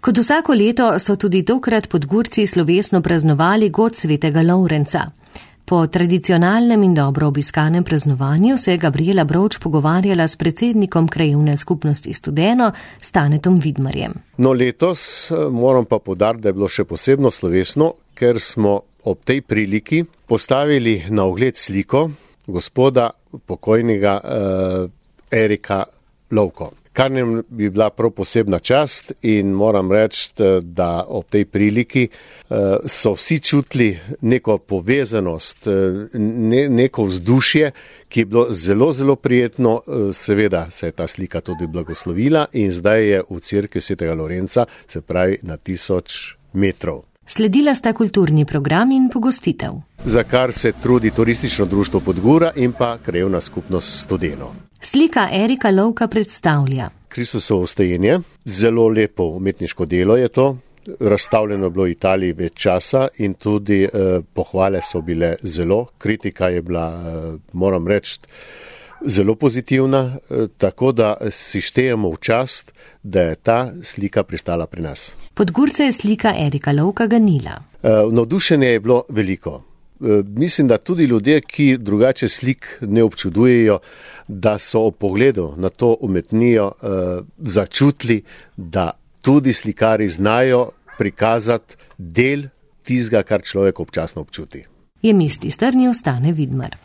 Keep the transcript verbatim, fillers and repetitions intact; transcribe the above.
Kot vsako leto so tudi tokrat Podgurci slovesno praznovali god svetega Lovrenca. Po tradicionalnem in dobro obiskanem praznovanju se je Gabriela Brovč pogovarjala s predsednikom krajevne skupnosti Studeno, Stanetom Vidmarjem. No, letos moram pa poudariti, da je bilo še posebno slovesno, ker smo ob tej priliki postavili na ogled sliko gospoda pokojnega eh, Erika Lovko. Kar nam bi bila prav posebna čast in moram reči, da ob tej priliki so vsi čutili neko povezanost, ne, neko vzdušje, ki je bilo zelo, zelo prijetno. Seveda se je ta slika tudi blagoslovila in zdaj je v cerkvi svetega Lovrenca, se pravi na tisoč metrov. Sledila sta kulturni program in pogostitev. Za kar se trudi turistično društvo Podgura in pa krajevna skupnost Studeno. Slika Erika Lovka predstavlja Kristusovo vstajenje, zelo lepo umetniško delo je to, razstavljeno je bilo v Italiji več časa in tudi eh, pohvale so bile zelo, kritika je bila, eh, moram reči, zelo pozitivna, eh, tako da si štejemo v čast, da je ta slika pristala pri nas. Podgurce je slika Erika Lovka ganila. Eh, navdušenje je bilo veliko. Mislim, da tudi ljudje, ki drugače slik ne občudujejo, da so ob pogledu na to umetnijo eh, začutili, da tudi slikari znajo prikazati del tistega, kar človek občasno občuti. Je misli strnil Stane Vidmar.